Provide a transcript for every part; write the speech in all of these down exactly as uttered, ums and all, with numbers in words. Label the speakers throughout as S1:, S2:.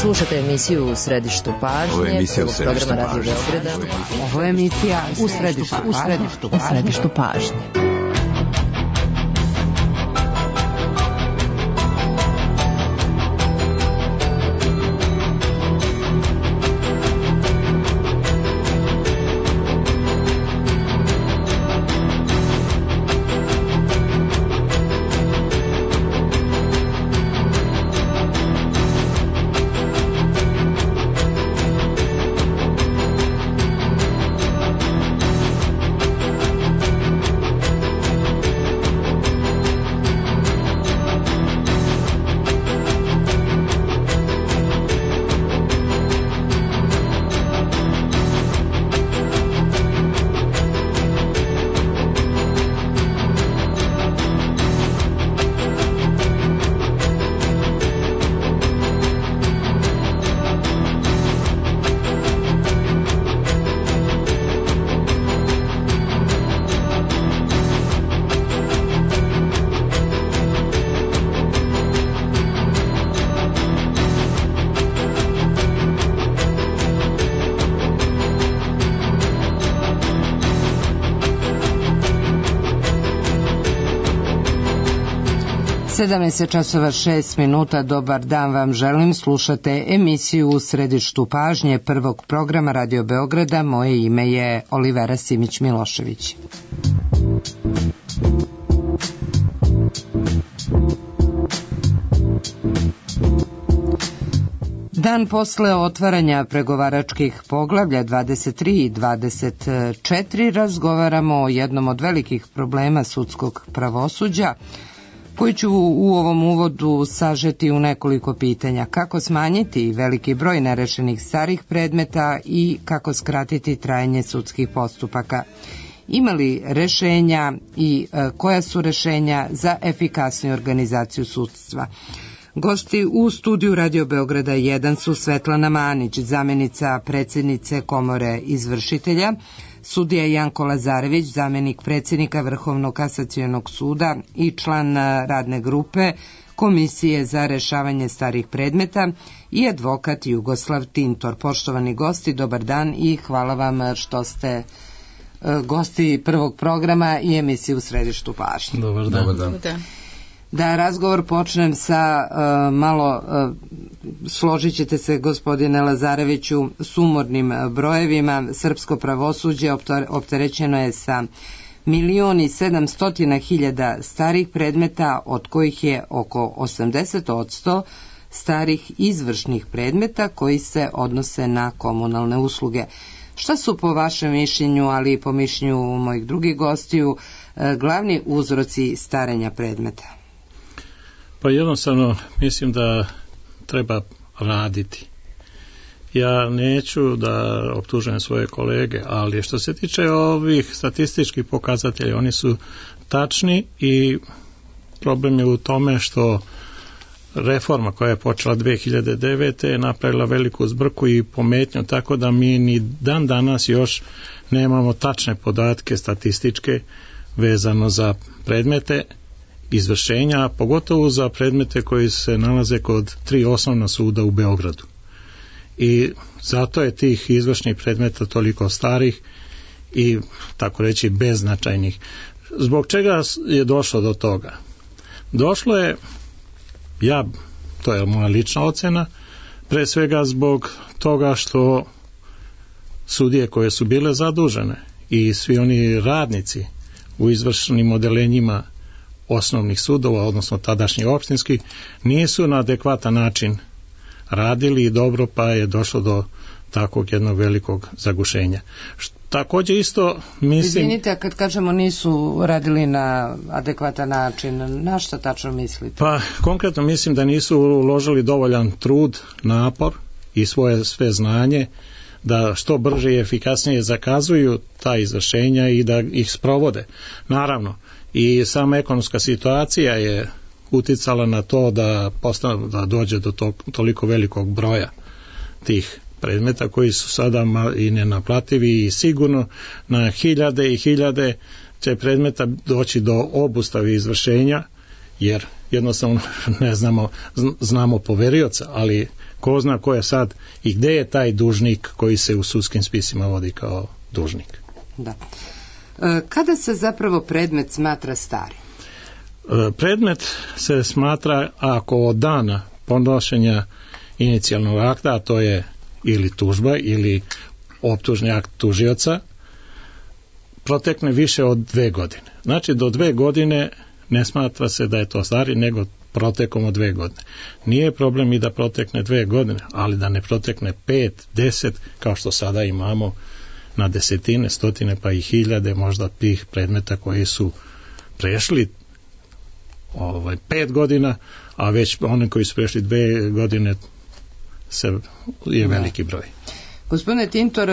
S1: Slušate emisiju U središtu pažnje.
S2: Ovo je emisija U središtu
S1: pažnje.
S3: Ovo je emisija U središtu pažnje. U središtu pažnje. U središtu pažnje. sedamnaest časova šest minuta, dobar dan vam želim, slušate emisiju U središtu pažnje prvog programa Radio Beograda, moje ime je Olivera Simić-Milošević. Dan posle otvaranja pregovaračkih poglavlja dvadeset tri i dvadeset četiri razgovaramo o jednom od velikih problema sudskog pravosuđa, koji ću u ovom uvodu sažeti u nekoliko pitanja. Kako smanjiti veliki broj nerešenih starih predmeta i kako skratiti trajanje sudskih postupaka? Ima li rešenja i e, koja su rešenja za efikasniju organizaciju sudstva? Gosti u studiju Radio Beograda jedan su Svetlana Manić, zamjenica predsjednice Komore izvršitelja, sudija Janko Lazarević, zamjenik predsjednika Vrhovnog kasacionog suda i član radne grupe Komisije za rešavanje starih predmeta i advokat Jugoslav Tintor. Poštovani gosti, dobar dan i hvala vam što ste gosti prvog programa i emisije U središtu pažnje.
S4: Dobar dan. Dobar dan.
S3: Da. Da razgovor počnem sa uh, malo, uh, složit ćete se gospodine Lazareviću, sumornim brojevima. Srpsko pravosuđe opterećeno je sa milion i sedamstotina hiljada starih predmeta, od kojih je oko osamdeset odsto starih izvršnih predmeta koji se odnose na komunalne usluge. Šta su po vašem mišljenju, ali i po mišljenju mojih drugih gostiju, uh, glavni uzroci starenja predmeta?
S4: Pa jednostavno mislim da treba raditi. Ja neću da optužujem svoje kolege, ali što se tiče ovih statističkih pokazatelja, oni su tačni i problem je u tome što reforma koja je počela dve hiljade devete je napravila veliku zbrku i pometnju, tako da mi ni dan danas još nemamo tačne podatke statističke vezano za predmete izvršenja, pogotovo za predmete koji se nalaze kod tri osnovna suda u Beogradu. I zato je tih izvršnih predmeta toliko starih i tako reći beznačajnih. Zbog čega je došlo do toga? Došlo je, ja, to je moja lična ocena, pre svega zbog toga što sudije koje su bile zadužene i svi oni radnici u izvršnim odelenjima osnovnih sudova, odnosno tadašnjih opštinskih, nisu na adekvatan način radili i dobro, pa je došlo do takvog jednog velikog zagušenja. Također isto mislim...
S3: Izvinite, kad kažemo nisu radili na adekvatan način, na šta tačno mislite?
S4: Pa konkretno mislim da nisu uložili dovoljan trud, napor i svoje sve znanje da što brže i efikasnije zakazuju ta izvršenja i da ih sprovode. Naravno, i sama ekonomska situacija je uticala na to da postane, da dođe do to, toliko velikog broja tih predmeta koji su sada i nenaplativi i sigurno na hiljade i hiljade će predmeta doći do obustave izvršenja, jer jednostavno ne znamo, znamo poverioca, ali ko zna ko je sad i gde je taj dužnik koji se u sudskim spisima vodi kao dužnik.
S3: Da. E, kada se zapravo predmet smatra starim?
S4: E, predmet se smatra ako od dana podnošenja inicijalnog akta, a to je ili tužba ili optužni akt tužioca, protekne više od dve godine. Znači do dve godine ne smatra se da je to stari, nego protekom od dve godine. Nije problem i da protekne dve godine, ali da ne protekne pet, deset, kao što sada imamo na desetine, stotine pa i hiljade možda tih predmeta koji su prešli ovaj, pet godina, a već oni koji su prešli dve godine se, je veliki broj.
S3: Gospodine Tintor,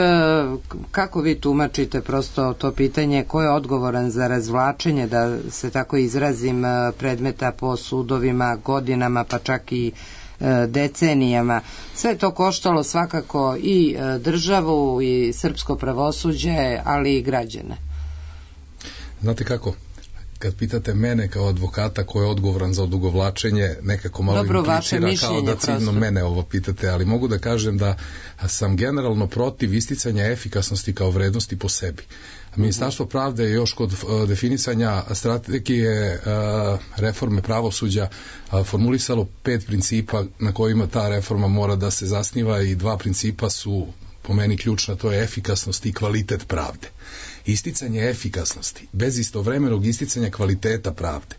S3: kako vi tumačite prosto to pitanje, ko je odgovoran za razvlačenje, da se tako izrazim, predmeta po sudovima godinama pa čak i decenijama? Sve to koštalo svakako i državu i srpsko pravosuđe, ali i građane.
S2: Znate kako? Kad pitate mene kao advokata ko je odgovoran za odugovlačenje, nekako malo
S3: Dobro,
S2: implicira kao da ciljno mene ovo pitate, ali mogu da kažem da sam generalno protiv isticanja efikasnosti kao vrednosti po sebi. Ministarstvo pravde je još kod definisanja strategije reforme pravosuđa formulisalo pet principa na kojima ta reforma mora da se zasniva i dva principa su po meni ključna, to je efikasnost i kvalitet pravde. Isticanje efikasnosti bez istovremenog isticanja kvaliteta pravde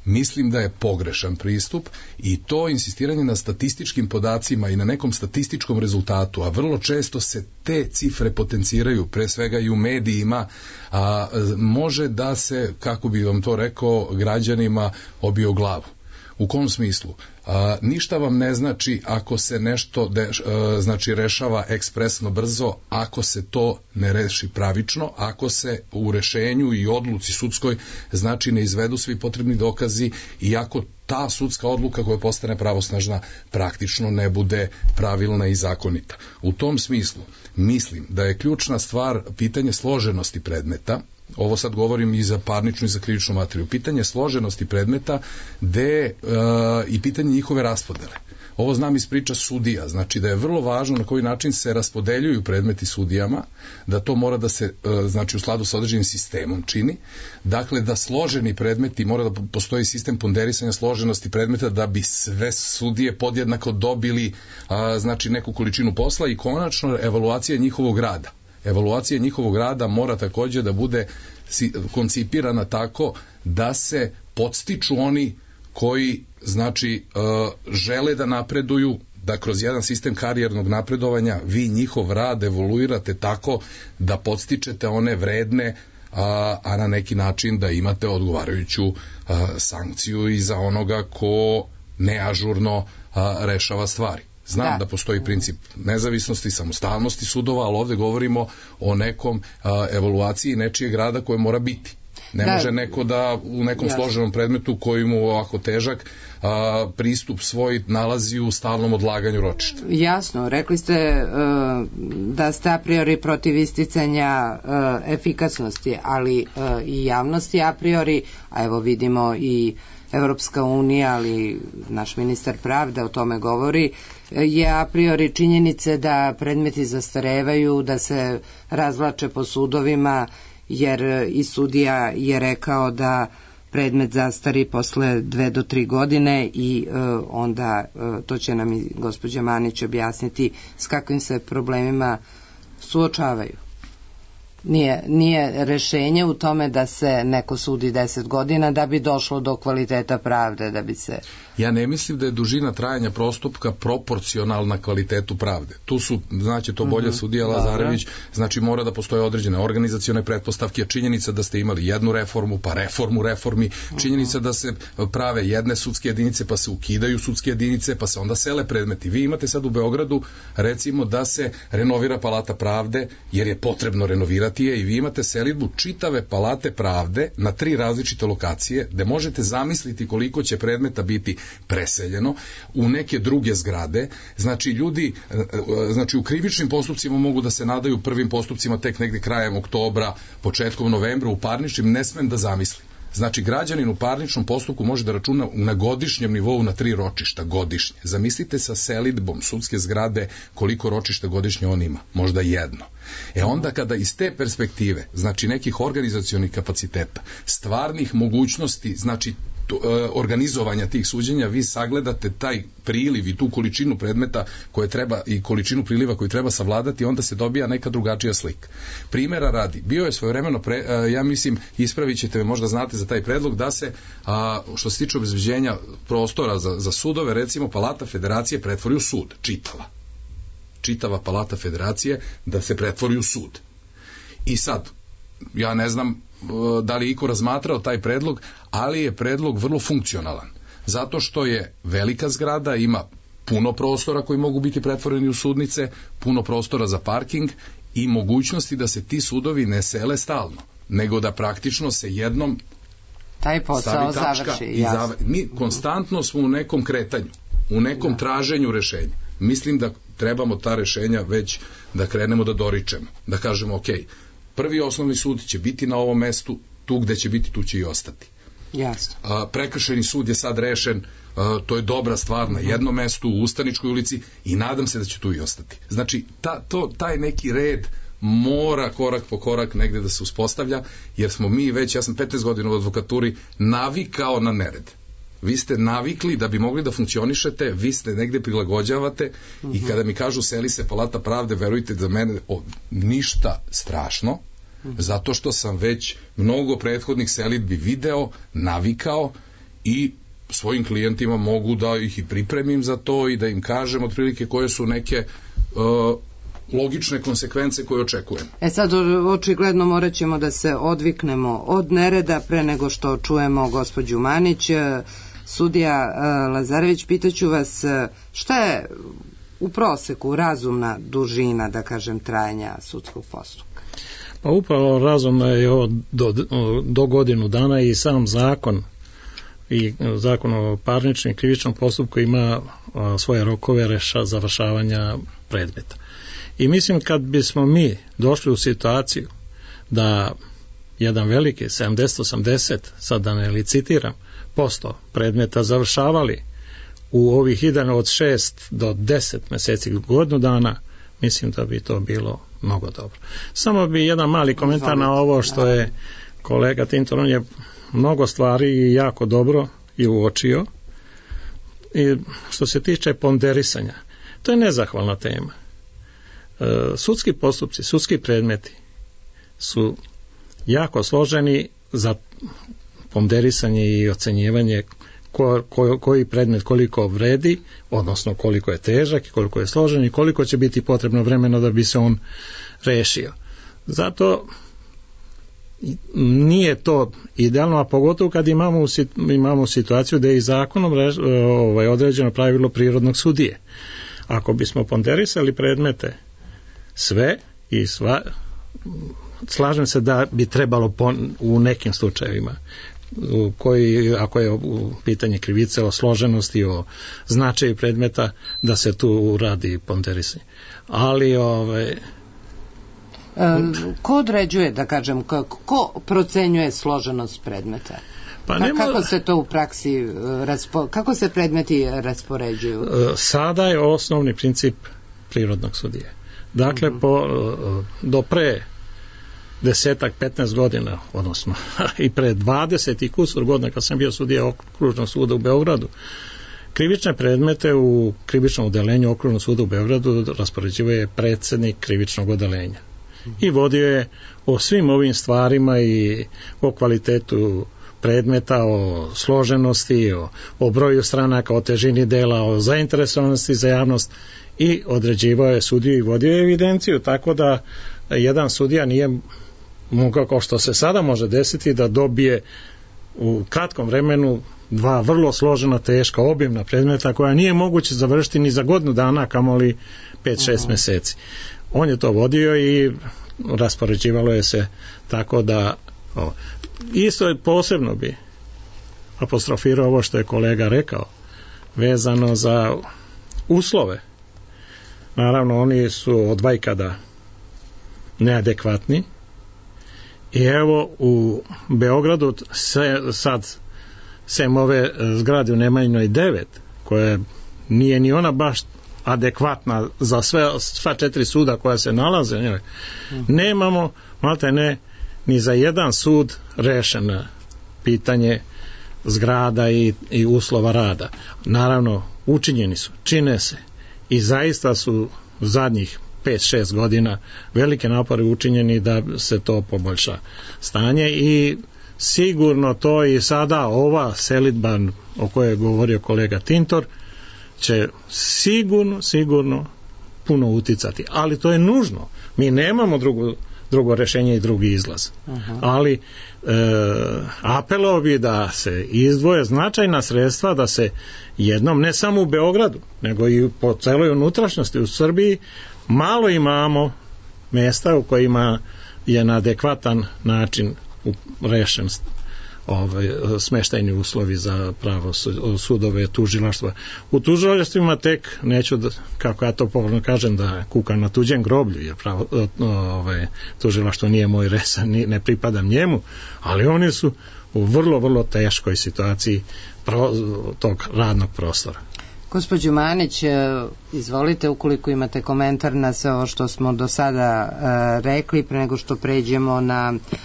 S2: mislim da je pogrešan pristup i to insistiranje na statističkim podacima i na nekom statističkom rezultatu, a vrlo često se te cifre potenciraju, pre svega i u medijima, a može da se, kako bi vam to rekao, građanima obije o glavu. U kom smislu? A, ništa vam ne znači ako se nešto de, a, znači rešava ekspresno brzo, ako se to ne reši pravično, ako se u rešenju i odluci sudskoj znači ne izvedu svi potrebni dokazi i ako ta sudska odluka koja postane pravosnažna praktično ne bude pravilna i zakonita. U tom smislu mislim da je ključna stvar pitanje složenosti predmeta. Ovo sad govorim i za parničnu i za krivičnu materiju. Pitanje složenosti predmeta de, e, i pitanje njihove raspodele. Ovo znam iz priča sudija, znači da je vrlo važno na koji način se raspodeljuju predmeti sudijama, da to mora da se, e, znači u skladu sa određenim sistemom čini, dakle da složeni predmeti, mora da postoji sistem ponderisanja složenosti predmeta da bi sve sudije podjednako dobili a, znači neku količinu posla i konačno evaluacija njihovog rada. Evaluacija njihovog rada mora takođe da bude koncipirana tako da se podstiču oni koji znači žele da napreduju, da kroz jedan sistem karijernog napredovanja vi njihov rad evoluirate tako da podstičete one vredne, a, a na neki način da imate odgovarajuću a, sankciju i za onoga ko neažurno a, rešava stvari. Znam da. da postoji princip nezavisnosti, samostalnosti sudova, ali ovde govorimo o nekom a, evaluaciji nečijeg rada koje mora biti. Ne da. može neko da u nekom Jasno. složenom predmetu koji mu ovako težak a, pristup svoj nalazi u stalnom odlaganju ročišta.
S3: Jasno, rekli ste uh, da ste a priori protiv isticanja uh, efikasnosti, ali uh, i javnosti a priori, a evo vidimo i Evropska unija, ali naš ministar pravde o tome govori, je a priori činjenice da predmeti zastarevaju, da se razvlače po sudovima, jer i sudija je rekao da predmet zastari posle dve do tri godine i e, onda e, to će nam i gospođa Manić objasniti s kakvim se problemima suočavaju. Nije, nije rešenje u tome da se neko sudi deset godina da bi došlo do kvaliteta pravde, da bi se...
S2: Ja ne mislim da je dužina trajanja postupka proporcionalna kvalitetu pravde. Tu su, znači to bolje mm-hmm. sudija Lazarević, znači mora da postoje određene organizacione pretpostavke, činjenica da ste imali jednu reformu, pa reformu reformi, činjenica da se prave jedne sudske jedinice, pa se ukidaju sudske jedinice, pa se onda sele predmeti. Vi imate sad u Beogradu, recimo, da se renovira Palata pravde, jer je potrebno renovirati je, i vi imate selidbu čitave Palate pravde na tri različite lokacije, gde možete zamisliti koliko će predmeta biti preseljeno u neke druge zgrade. Znači ljudi, znači u krivičnim postupcima mogu da se nadaju prvim postupcima tek negde krajem oktobra, početkom novembra, u parničnim ne smem da zamislim. Znači, građanin u parničnom postupku može da računa na godišnjem nivou na tri ročišta godišnje. Zamislite sa selidbom sudske zgrade koliko ročišta godišnje on ima. Možda jedno. E onda kada iz te perspektive, znači nekih organizacionih kapaciteta, stvarnih mogućnosti, znači organizovanja tih suđenja, vi sagledate taj priliv i tu količinu predmeta koje treba i količinu priliva koju treba savladati, onda se dobija neka drugačija slika. Primera radi, bio je svojevremeno, pre, ja mislim, ispravit ćete me, možda znate za taj predlog, da se, a, što se tiče obezbeđenja prostora za, za sudove, recimo Palata Federacije pretvori u sud, čitava. Čitava Palata Federacije da se pretvori u sud. I sad, ja ne znam da li je iko razmatrao taj predlog, ali je predlog vrlo funkcionalan. Zato što je velika zgrada, ima puno prostora koji mogu biti pretvoreni u sudnice, puno prostora za parking i mogućnosti da se ti sudovi ne sele stalno, nego da praktično se jednom
S3: taj posao završi.
S2: I zav... Mi konstantno smo u nekom kretanju, u nekom da. traženju rešenja. Mislim da trebamo ta rešenja već da krenemo da doričemo, da kažemo ok, prvi osnovni sud će biti na ovom mestu, tu gde će biti, tu će i ostati.
S3: Jasno.
S2: A, prekršajni sud je sad rešen, a, to je dobra stvar na jednom mestu u Ustaničkoj ulici i nadam se da će tu i ostati. Znači, ta, to, taj neki red mora korak po korak negde da se uspostavlja, jer smo mi već, ja sam petnaest godina u advokaturi, navikao na nered. Vi ste navikli da bi mogli da funkcionišete, vi ste negde prilagođavate uh-huh. i kada mi kažu seli se Palata pravde, verujte da mene o, ništa strašno, uh-huh. zato što sam već mnogo prethodnih selidbi video, navikao i svojim klijentima mogu da ih i pripremim za to i da im kažem otprilike koje su neke uh, logične konsekvence koje očekujem.
S3: E sad, očigledno morat ćemo da se odviknemo od nereda pre nego što čujemo gospođu Manić. Sudija Lazarević, pitaću vas šta je u proseku razumna dužina, da kažem, trajanja sudskog postupka?
S4: Pa upravo razumno je do, do godinu dana i sam zakon i zakon o parničnom i krivičnom postupku ima svoje rokove reša završavanja predmeta. I mislim kad bismo mi došli u situaciju da jedan veliki sedamdeset osamdeset, sad da ne licitiram, posto predmeta završavali u ovih idejno od šest do deset meseci godinu dana, mislim da bi to bilo mnogo dobro. Samo bi jedan mali komentar na ovo što je kolega Tintor, on je mnogo stvari jako dobro i uočio. I što se tiče ponderisanja, to je nezahvalna tema. Sudski postupci, sudski predmeti su jako složeni za ponderisanje i ocenjivanje ko, ko, koji predmet koliko vredi, odnosno koliko je težak i koliko je složen i koliko će biti potrebno vremena da bi se on rešio. Zato nije to idealno, a pogotovo kad imamo, imamo situaciju da je i zakonom reš, ovaj, određeno pravilo prirodnog sudije. Ako bismo ponderisali predmete sve i sva, slažem se da bi trebalo pon, u nekim slučajevima u koji, ako je u pitanje krivice o složenosti, o značaju predmeta, da se tu uradi ponderisanje. Ali ovaj,
S3: e, ko određuje, da kažem, ko, ko procenjuje složenost predmeta? Pa nema, kako se to u praksi raspo, kako se predmeti raspoređuju?
S4: Sada je osnovni princip prirodnog sudije. Dakle, mm-hmm. po, do pre desetak, petnaest godina, odnosno i pre dvadeset i kusur godina kad sam bio sudija okružnog suda u Beogradu, krivične predmete u krivičnom odeljenju okružnog suda u Beogradu raspoređivao je predsednik krivičnog odeljenja. I vodio je o svim ovim stvarima i o kvalitetu predmeta, o složenosti, o, o broju stranaka, o težini dela, o zainteresovanosti za javnost i određivao je sudiju i vodio je evidenciju, tako da jedan sudija nije mogao, kao što se sada može desiti, da dobije u kratkom vremenu dva vrlo složena, teška, obimna predmeta koja nije moguće završiti ni za godinu dana, kamoli pet šest meseci. On je to vodio i raspoređivalo je se tako da o, isto je posebno bi apostrofirao ovo što je kolega rekao vezano za uslove. Naravno, oni su od vajkada neadekvatni I evo u Beogradu se, sad sem ove zgrade u Nemanjinoj devet, koja nije ni ona baš adekvatna za sve, sva četiri suda koja se nalaze, ne, nemamo malte ne ni za jedan sud rešeno pitanje zgrada i, i uslova rada. Naravno, učinjeni su, čine se i zaista su zadnjih pet šest godina velike napore učinjeni da se to poboljša stanje i sigurno to i sada ova selidba o kojoj je govorio kolega Tintor će sigurno, sigurno puno uticati, ali to je nužno. Mi nemamo drugu, drugo rešenje i drugi izlaz. Aha. Ali e, apelao bi da se izdvoje značajna sredstva da se jednom, ne samo u Beogradu, nego i po celoj unutrašnjosti u Srbiji, malo imamo mesta u kojima je na adekvatan način rešen ovaj, smeštajni uslovi za pravo sudove, tužilaštva. U tužilaštvima tek, neću da, kako ja to povrno kažem, da kukam na tuđem groblju, jer pravo, ovaj, tužilaštvo nije moj resan, ne pripadam njemu, ali oni su u vrlo, vrlo teškoj situaciji pro, tog radnog prostora.
S3: Gospođo Manić, izvolite ukoliko imate komentar na sve ovo što smo do sada uh, rekli, pre nego što pređemo na uh,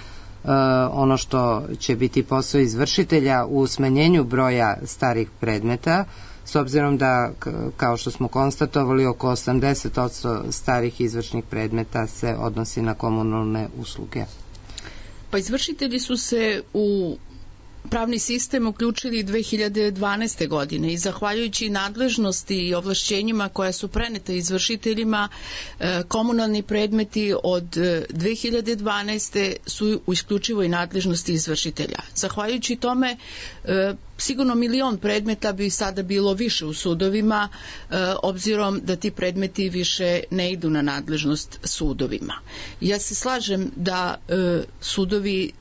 S3: ono što će biti posao izvršitelja u smanjenju broja starih predmeta, s obzirom da, kao što smo konstatovali, oko osamdeset posto starih izvršnih predmeta se odnosi na komunalne usluge.
S5: Pa izvršitelji su se u pravni sistem uključili dve hiljade dvanaeste. godine i zahvaljujući nadležnosti i ovlašćenjima koja su prenete izvršiteljima, komunalni predmeti od dve hiljade dvanaeste. su u isključivoj nadležnosti izvršitelja. Zahvaljujući tome, sigurno milion predmeta bi sada bilo više u sudovima, obzirom da ti predmeti više ne idu na nadležnost sudovima. Ja se slažem da sudovi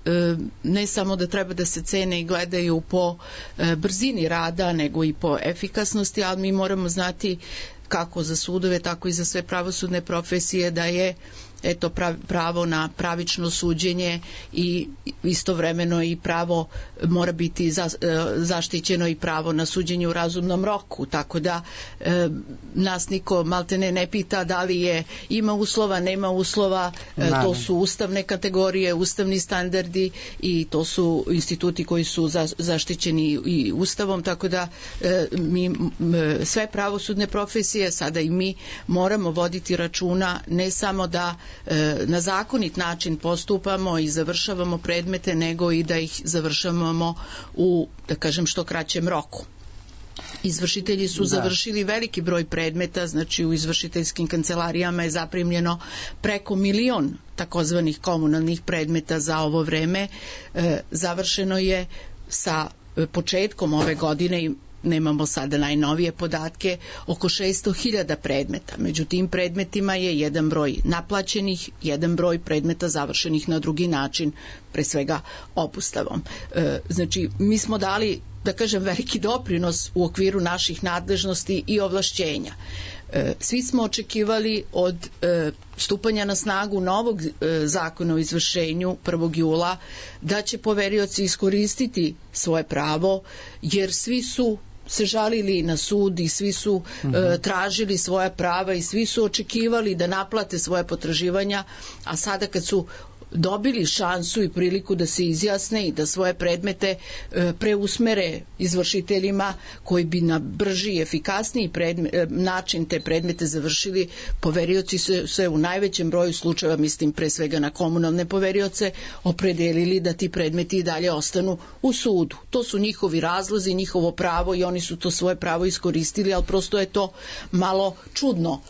S5: ne samo da treba da se cene i gledaju po brzini rada, nego i po efikasnosti, ali mi moramo znati kako za sudove, tako i za sve pravosudne profesije da je eto pravo na pravično suđenje i istovremeno i pravo mora biti za, zaštićeno i pravo na suđenje u razumnom roku, tako da e, nas niko maltene ne pita da li je ima uslova, nema uslova, e, to su ustavne kategorije, ustavni standardi i to su instituti koji su za, zaštićeni i ustavom, tako da e, mi m, sve pravosudne profesije, sada i mi, moramo voditi računa ne samo da na zakonit način postupamo i završavamo predmete, nego i da ih završavamo u, da kažem, što kraćem roku. Izvršitelji su da. završili veliki broj predmeta, znači u izvršiteljskim kancelarijama je zaprimljeno preko milion takozvanih komunalnih predmeta za ovo vreme. E, završeno je sa početkom ove godine i nemamo sada najnovije podatke, oko šesto hiljada predmeta. Među tim predmetima je jedan broj naplaćenih, jedan broj predmeta završenih na drugi način, pre svega obustavom. E, znači, mi smo dali, da kažem, veliki doprinos u okviru naših nadležnosti i ovlašćenja. E, svi smo očekivali od e, stupanja na snagu novog e, zakona o izvršenju prvog jula da će poverioci iskoristiti svoje pravo, jer svi su se žalili na sud i svi su uh-huh. e, tražili svoja prava i svi su očekivali da naplate svoje potraživanja, a sada kad su dobili šansu i priliku da se izjasne i da svoje predmete e, preusmere izvršiteljima koji bi na brži i efikasniji predme, e, način te predmete završili, poverioci se, se u najvećem broju slučajeva, mislim pre svega na komunalne poverioce, opredelili da ti predmeti i dalje ostanu u sudu. To su njihovi razlozi, njihovo pravo i oni su to svoje pravo iskoristili, ali prosto je to malo čudno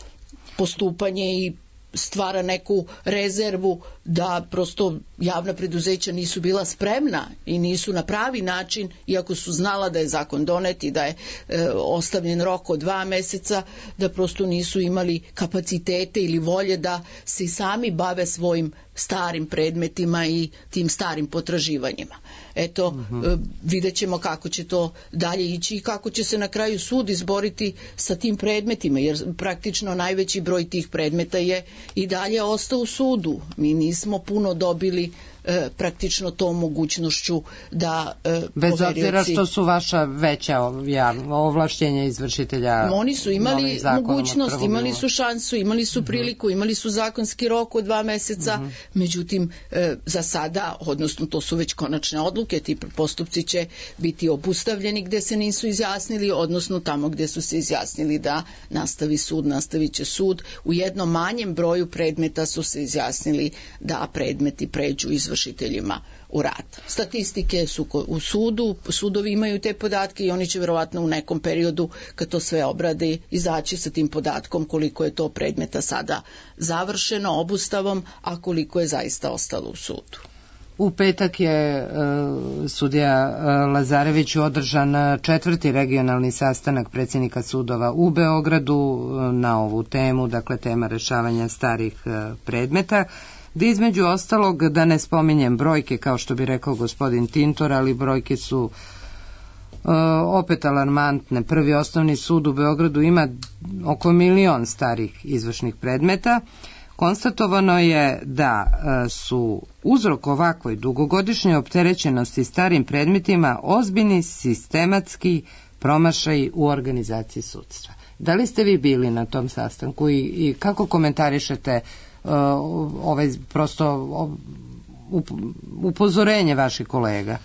S5: postupanje i stvara neku rezervu da prosto javna preduzeća nisu bila spremna i nisu na pravi način, iako su znala da je zakon donet i da je e, ostavljen rok od dva meseca, da prosto nisu imali kapacitete ili volje da se sami bave svojim starim predmetima i tim starim potraživanjima. Eto, uh-huh. vidjet ćemo kako će to dalje ići i kako će se na kraju sud izboriti sa tim predmetima, jer praktično najveći broj tih predmeta je i dalje ostao u sudu. Mi nismo puno dobili e, praktično tom mogućnošću da e,
S3: bez
S5: poverioci...
S3: obzira što su vaša veća ovlašćenja izvršitelja.
S5: Oni su imali mogućnost, imali su šansu, imali su priliku, imali su zakonski rok od dva meseca, mm-hmm. međutim e, za sada, odnosno to su već konačne odluke, ti postupci će biti obustavljeni gde se nisu izjasnili, odnosno tamo gde su se izjasnili da nastavi sud, nastavit će sud. U jednom manjem broju predmeta su se izjasnili da predmeti pređu izvršiteljima u rad. Statistike su u sudu, sudovi imaju te podatke i oni će verovatno u nekom periodu, kad to sve obrade, izaći sa tim podatkom koliko je to predmeta sada završeno obustavom, a koliko je zaista ostalo u sudu.
S3: U petak je uh, sudija uh, Lazarević održan četvrti regionalni sastanak predsjednika sudova u Beogradu uh, na ovu temu, dakle tema rešavanja starih uh, predmeta, gdje između ostalog, da ne spominjem brojke, kao što bi rekao gospodin Tintor, ali brojke su uh, opet alarmantne. Prvi osnovni sud u Beogradu ima oko milion starih izvršnih predmeta. Konstatovano je da su uzrok ovakvoj dugogodišnjoj opterećenosti starim predmetima ozbiljni sistematski promašaji u organizaciji sudstva. Da li ste vi bili na tom sastanku i, i kako komentarišete uh, ovaj prosto up, upozorenje vaših kolega?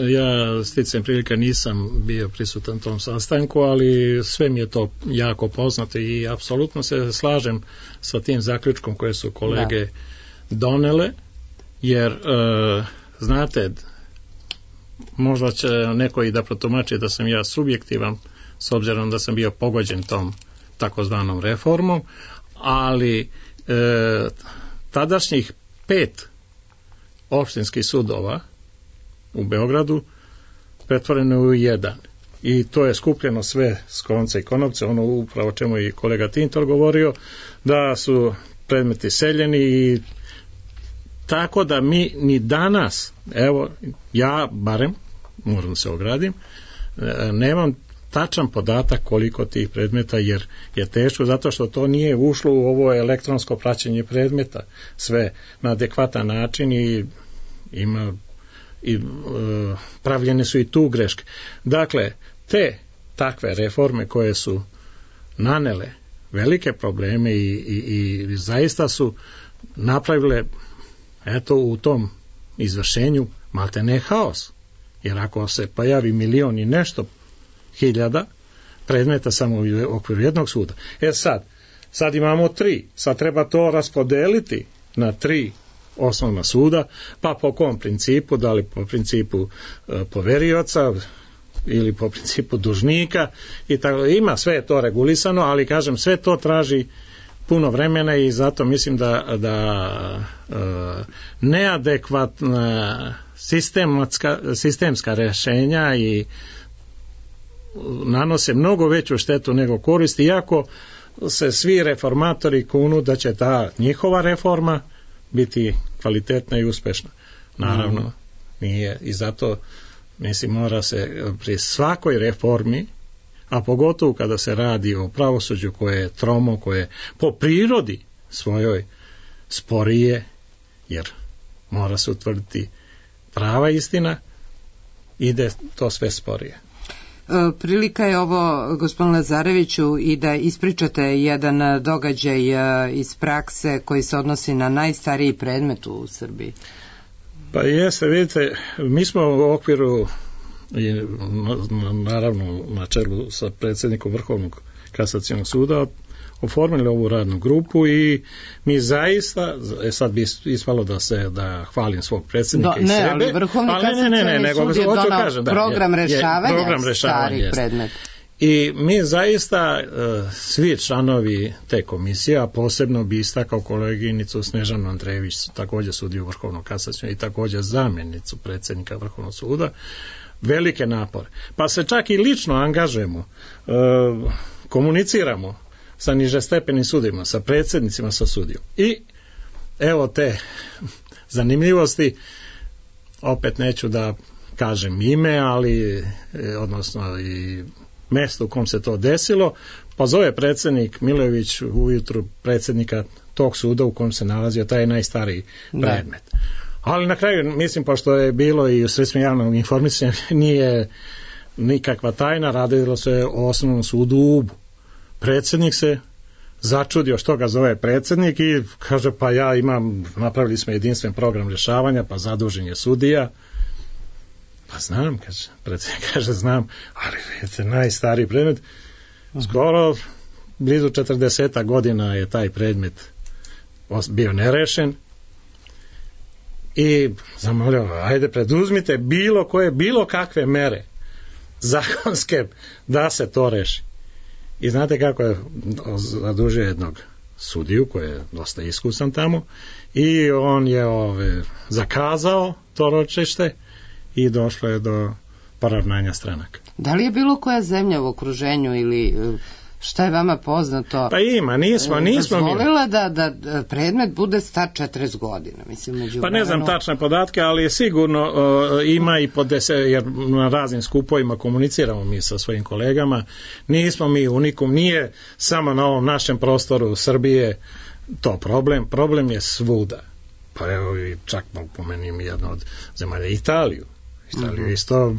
S4: Ja sticam prilika nisam bio prisutan tom sastanku, ali sve mi je to jako poznato i apsolutno se slažem sa tim zaključkom koje su kolege da. donele, jer e, znate, možda će neko i da protumači da sam ja subjektivan s obzirom da sam bio pogođen tom takozvanom reformom, ali e, tadašnjih pet opštinskih sudova u Beogradu pretvoreno je u jedan i to je skupljeno sve s konca i konopca, ono upravo čemu i kolega Tintor govorio, da su predmeti seljeni i tako da mi ni danas, evo ja barem moram se ogradim, nemam tačan podatak koliko tih predmeta, jer je teško zato što to nije ušlo u ovo elektronsko praćenje predmeta sve na adekvatan način i ima i e, pravljene su i tu greške. Dakle, te takve reforme koje su nanele velike probleme i, i, i zaista su napravile eto u tom izvršenju maltene haos. Jer ako se pojavi milion i nešto hiljada predmeta samo u okviru jednog suda. E sad, sad imamo tri, sad treba to raspodeliti na tri osnovna suda, pa po kom principu, da li po principu e, poverioca ili po principu dužnika i tako, ima sve to regulisano, ali kažem, sve to traži puno vremena i zato mislim da, da e, neadekvatna sistematska, sistemska rešenja i nanose mnogo veću štetu nego koristi, iako se svi reformatori kunu da će ta njihova reforma biti kvalitetna i uspešna. Naravno, mm. nije i zato mislim mora se pri svakoj reformi, a pogotovo kada se radi o pravosuđu koje je tromo, koje je po prirodi svojoj sporije, jer mora se utvrditi prava istina, ide to sve sporije.
S3: Prilika je ovo, gospodin Lazareviću, i da ispričate jedan događaj iz prakse koji se odnosi na najstariji predmet u Srbiji.
S4: Pa jeste, vidite, mi smo u okviru i naravno na čelu sa predsjednikom Vrhovnog kasacionog suda oformili ovu radnu grupu i mi zaista, e sad bi ispalo da se da hvalim svog predsjednika Do, i
S3: ne,
S4: sebe,
S3: ali Vrhovni
S4: ali ne, ne, ne, nego,
S3: sud je donao
S4: kažem, da,
S3: program
S4: je,
S3: rešavanja,
S4: je, program rešavanja
S3: starih
S4: jest.
S3: predmeta.
S4: I mi zaista svi članovi te komisije, a posebno bi istakao koleginicu Snežanu Andrejević, također sudiju Vrhovnog kasacionog i također zamjenicu predsjednika Vrhovnog suda, velike napore. Pa se čak i lično angažujemo, komuniciramo sa nižestepenim sudima, sa predsjednicima, sa sudijom. I evo te zanimljivosti, opet neću da kažem ime, ali odnosno i mesto u kom se to desilo, pa zove predsjednik Milojević ujutru predsjednika tog suda u kojem se nalazio taj najstariji predmet. Da. Ali na kraju, mislim, pošto je bilo i u sredstvima javnog informisanja, nije nikakva tajna, radilo se o osnovnom sudu u Ubu. Predsjednik se začudio što ga zove predsjednik i kaže, pa ja imam, napravili smo jedinstven program rješavanja, pa zadužen je sudija. Pa znam, kaže, predsjednik kaže, znam, ali je najstariji predmet, skoro blizu četrdeset godina je taj predmet bio nerešen i zamolio, ajde preduzmite bilo koje, bilo kakve mere zakonske da se to reši. I znate kako je zadužio jednog sudiju koji je dosta iskusan tamo i on je ove, zakazao to ročište i došlo je do poravnanja stranaka.
S3: Da li je bilo koja zemlja u okruženju ili šta je vama poznato?
S4: Pa ima, nismo, nismo mi.
S3: Dozvolila da, da predmet bude star četrdeset godina. Mislim, među
S4: pa ne znam tačne podatke, ali je sigurno uh, ima i po deset, jer na raznim skupovima komuniciramo mi sa svojim kolegama. Nismo mi unikum, nije samo na ovom našem prostoru Srbije to problem. Problem je svuda. Pa evo i čak pomenim jedno od zemalja Italiju. Italiju mm-hmm. isto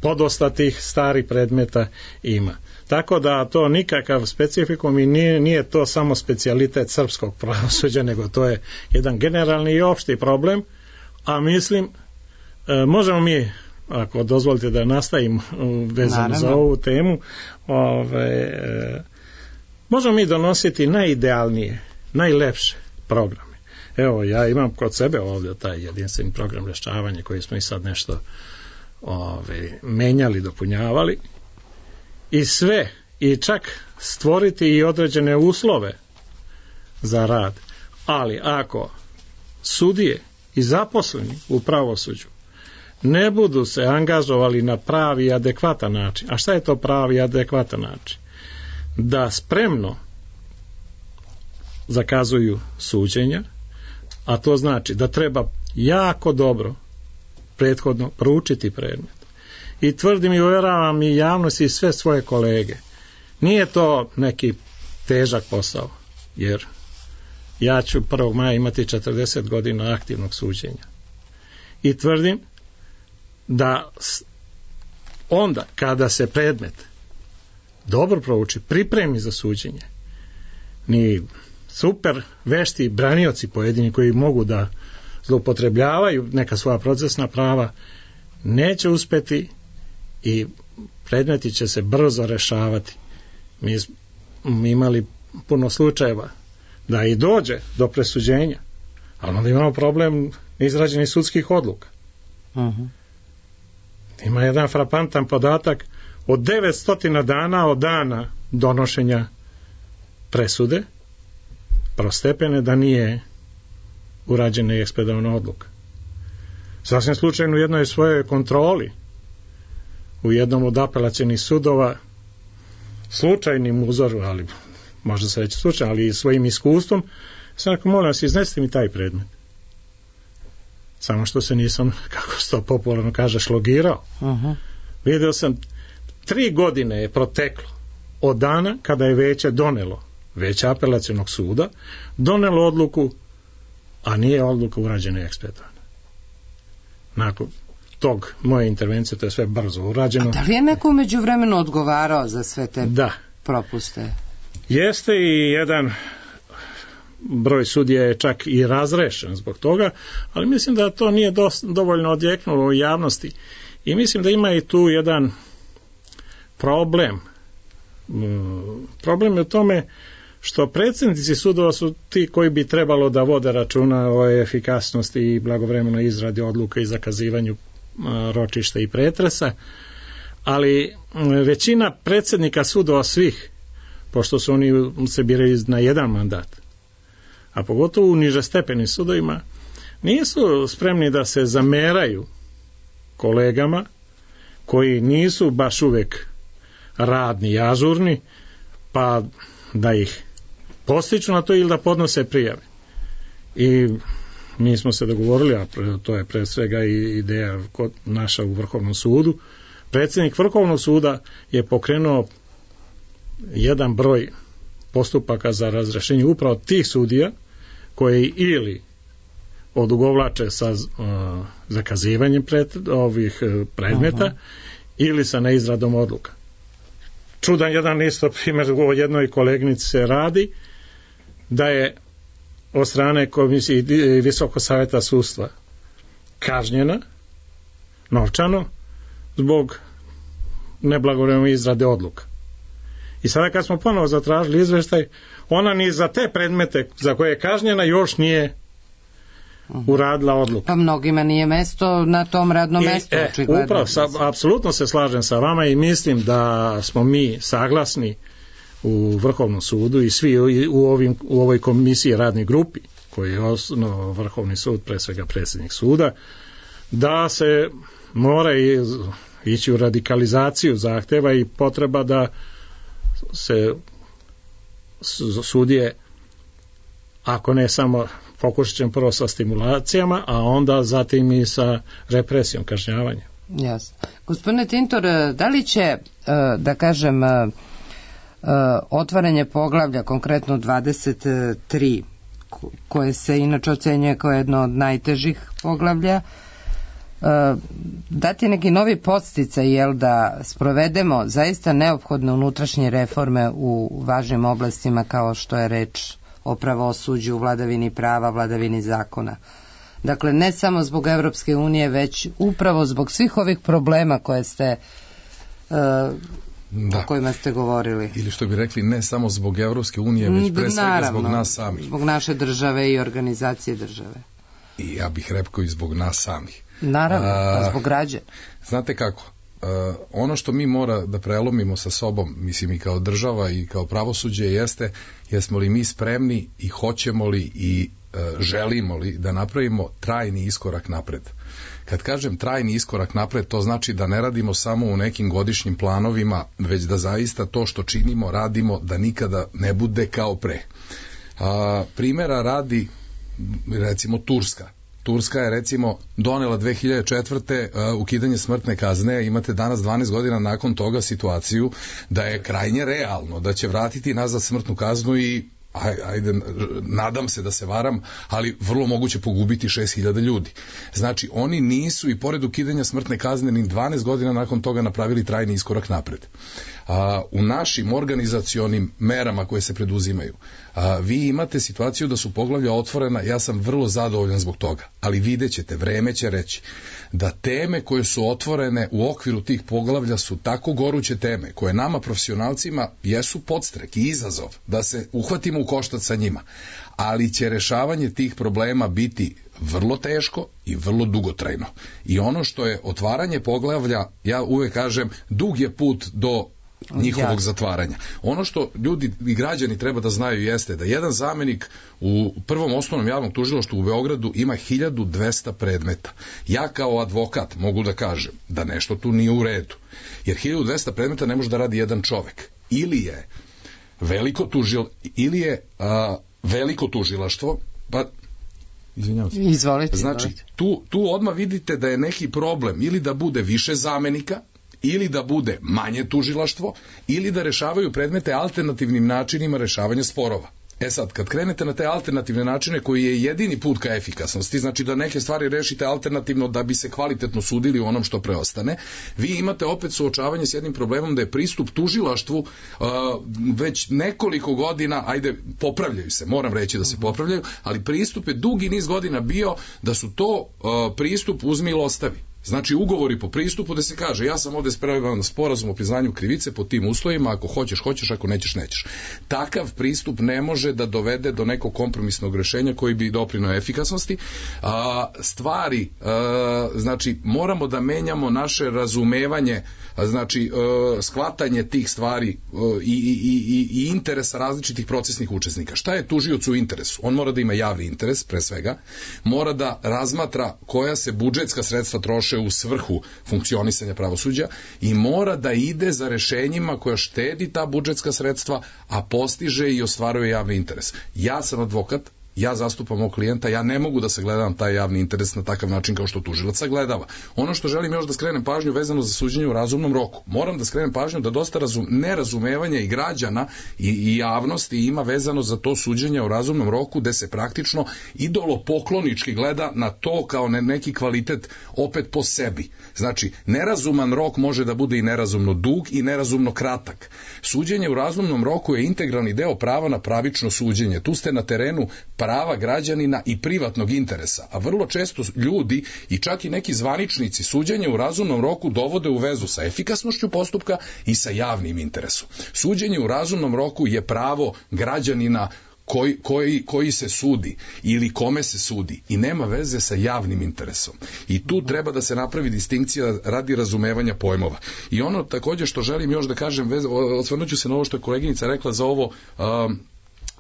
S4: podosta tih starih predmeta ima. Tako da to nikakav specifikum i nije, nije to samo specijalitet srpskog pravosuđa, nego to je jedan generalni i opšti problem, a mislim, e, možemo mi, ako dozvolite da nastavim vezano Naravno. za ovu temu, ove, e, možemo mi donositi najidealnije, najlepše programe. Evo, ja imam kod sebe ovdje taj jedinstveni program rješavanja koji smo i sad nešto ove, menjali, dopunjavali i sve, i čak stvoriti i određene uslove za rad. Ali ako sudije i zaposleni u pravosuđu ne budu se angažovali na pravi i adekvatan način, a šta je to pravi i adekvatan način? Da spremno zakazuju suđenja, a to znači da treba jako dobro prethodno proučiti predmet. I tvrdim i uvjeravam i javnost i sve svoje kolege. Nije to neki težak posao, jer ja ću prvog maja imati četrdeset godina aktivnog suđenja. I tvrdim da onda kada se predmet dobro prouči, pripremi za suđenje, ni super vešti branioci pojedini koji mogu da zloupotrebljavaju neka svoja procesna prava, neće uspjeti i predmeti će se brzo rešavati. Mi smo imali puno slučajeva da i dođe do presuđenja, ali onda imamo problem izrađenih sudskih odluka. Uh-huh. Ima jedan frapantan podatak od devetsto dana od dana donošenja presude prostepene da nije urađena i ekspedovana odluka. Sasvim slučajno u jednoj svojoj kontroli u jednom od apelacionih sudova slučajnim uzorom, ali možda se reći slučajno, ali i svojim iskustvom, sam rekao, molim vas, iznesite mi taj predmet. Samo što se nisam, kako se to popularno kaže, šlogirao. Uh-huh. Vidio sam, tri godine je proteklo od dana kada je veće donelo, veće apelacionog suda, donelo odluku, a nije odluka urađena i ekspedovana. Nakon tog moje intervencije, to je sve brzo urađeno.
S3: A da li je neko umeđu vremenu odgovarao za sve te
S4: da.
S3: propuste?
S4: Jeste i jedan broj sudija je čak i razrešen zbog toga, ali mislim da to nije dost, dovoljno odjeknulo u javnosti. I mislim da ima i tu jedan problem. Problem je u tome što predsjednici sudova su ti koji bi trebalo da vode računa o efikasnosti i blagovremenoj izradi odluka i zakazivanju ročišta i pretresa, ali većina predsjednika sudova svih, pošto su oni se biraju na jedan mandat, a pogotovo u nižestepenim sudovima, nisu spremni da se zameraju kolegama koji nisu baš uvek radni i ažurni, pa da ih postiču na to ili da podnose prijave. I mi smo se dogovorili, a to je pre svega i ideja kod naša u Vrhovnom sudu, predsjednik Vrhovnog suda je pokrenuo jedan broj postupaka za razrešenje upravo tih sudija koji ili odugovlače sa uh, zakazivanjem pred, ovih uh, predmeta uh-huh. ili sa neizradom odluka. Čudan jedan isto primjer u jednoj kolegnici se radi da je od strane komisije Visokog savjeta sudstva kažnjena novčano zbog neblagovremene izrade odluka. I sada kad smo ponovo zatražili izveštaj, ona ni za te predmete za koje je kažnjena još nije uradila odluku.
S3: Pa mnogima nije mesto na tom radnom mestu.
S4: E, upravo, sa, apsolutno se slažem sa vama i mislim da smo mi saglasni u Vrhovnom sudu i svi u, ovim, u ovoj komisiji radnoj grupi koji je osnovao Vrhovni sud, pre svega predsjednik suda, da se mora ići u radikalizaciju zahteva i potreba da se sudije, ako ne samo pokušat ćemo prvo sa stimulacijama, a onda zatim i sa represijom, kažnjavanjem.
S3: Jasno. Gospodine Tintor, da li će, da kažem, otvaranje poglavlja, konkretno dvadeset tri, koje se inače ocenjuje kao jedno od najtežih poglavlja, dati neki novi podsticaj, jel, da sprovedemo zaista neophodne unutrašnje reforme u važnim oblastima kao što je reč o pravosuđu, vladavini prava, vladavini zakona. Dakle, ne samo zbog Evropske unije, već upravo zbog svih ovih problema koje ste uh, da. o kojima ste govorili.
S2: Ili što bi rekli, ne samo zbog Evropske unije, već pre svega
S3: Naravno,
S2: zbog nas samih.
S3: Zbog naše države i organizacije države.
S2: I ja bih rekao i zbog nas samih.
S3: Naravno, a, zbog građana.
S2: Znate kako, uh, ono što mi mora da prelomimo sa sobom, mislim i kao država i kao pravosuđe, jeste jesmo li mi spremni i hoćemo li i uh, želimo li da napravimo trajni iskorak napred. Kad kažem trajni iskorak napred, to znači da ne radimo samo u nekim godišnjim planovima, već da zaista to što činimo, radimo, da nikada ne bude kao pre. Uh, primjera radi, recimo, Turska. Turska je, recimo, donela dve hiljade četvrte uh, ukidanje smrtne kazne. Imate danas dvanaest godina nakon toga situaciju da je krajnje realno da će vratiti nazad smrtnu kaznu i ajde, nadam se da se varam, ali vrlo moguće pogubiti šest hiljada ljudi. Znači, oni nisu i pored ukidanja smrtne kazne ni dvanaest godina nakon toga napravili trajni iskorak napred. A, u našim organizacionim merama koje se preduzimaju, a, vi imate situaciju da su poglavlja otvorena, ja sam vrlo zadovoljan zbog toga, ali vidjet ćete, vreme će reći da teme koje su otvorene u okviru tih poglavlja su tako goruće teme, koje nama profesionalcima jesu podstrek i izazov da se uhvatimo u koštac sa njima, ali će rešavanje tih problema biti vrlo teško i vrlo dugotrajno. I ono što je otvaranje poglavlja, ja uvek kažem, dug je put do njihovog ja. zatvaranja. Ono što ljudi i građani treba da znaju jeste da jedan zamenik u prvom osnovnom javnom tužilaštvu u Beogradu ima hiljadu dvesta predmeta. Ja kao advokat mogu da kažem da nešto tu nije u redu. Jer hiljadu dvesta predmeta ne može da radi jedan čovek. Ili je veliko tužil, ili je a, veliko tužilaštvo, pa izvinjavam se.
S3: Izvolite.
S2: Znači,
S3: izvolite.
S2: Tu, tu odmah vidite da je neki problem ili da bude više zamenika, ili da bude manje tužilaštvo, ili da rešavaju predmete alternativnim načinima rešavanja sporova. E sad, kad krenete na te alternativne načine koji je jedini put ka efikasnosti, znači da neke stvari rešite alternativno da bi se kvalitetno sudili u onom što preostane, vi imate opet suočavanje s jednim problemom da je pristup tužilaštvu uh, već nekoliko godina, ajde, popravljaju se, moram reći da se popravljaju, ali pristup je dugi niz godina bio da su to uh, pristup uzmi ili ostavi. Znači ugovori po pristupu da se kaže ja sam ovde spreman na sporazum o priznanju krivice pod tim uslovima, ako hoćeš, hoćeš, ako nećeš, nećeš. Takav pristup ne može da dovede do nekog kompromisnog rešenja koji bi doprineo efikasnosti. A, stvari, a, znači moramo da menjamo naše razumevanje, a, znači a, shvatanje tih stvari a, i, i, i, i interesa različitih procesnih učesnika. Šta je tužiocu u interesu? On mora da ima javni interes, pre svega, mora da razmatra koja se budžetska sredstva troše u svrhu funkcionisanja pravosuđa i mora da ide za rešenjima koja štedi ta budžetska sredstva, a postiže i ostvaruje javni interes. Ja sam advokat, ja zastupam mog klijenta, ja ne mogu da sagledavam taj javni interes na takav način kao što tužilac sagledava. Ono što želim još da skrenem pažnju vezano za suđenje u razumnom roku. Moram da skrenem pažnju da dosta razum, nerazumevanja i građana i, i javnosti ima vezano za to suđenje u razumnom roku, gde se praktično idolopoklonički gleda na to kao ne, neki kvalitet opet po sebi. Znači, nerazuman rok može da bude i nerazumno dug i nerazumno kratak. Suđenje u razumnom roku je integralni deo prava na pravično suđenje. Tu ste na terenu prava građanina i privatnog interesa, a vrlo često ljudi i čak i neki zvaničnici suđenje u razumnom roku dovode u vezu sa efikasnošću postupka i sa javnim interesom. Suđenje u razumnom roku je pravo građanina Koji, koji, koji se sudi ili kome se sudi i nema veze sa javnim interesom. I tu treba da se napravi distinkcija radi razumevanja pojmova. I ono takođe što želim još da kažem, osvrnuću se na ovo što je koleginica rekla za ovo um,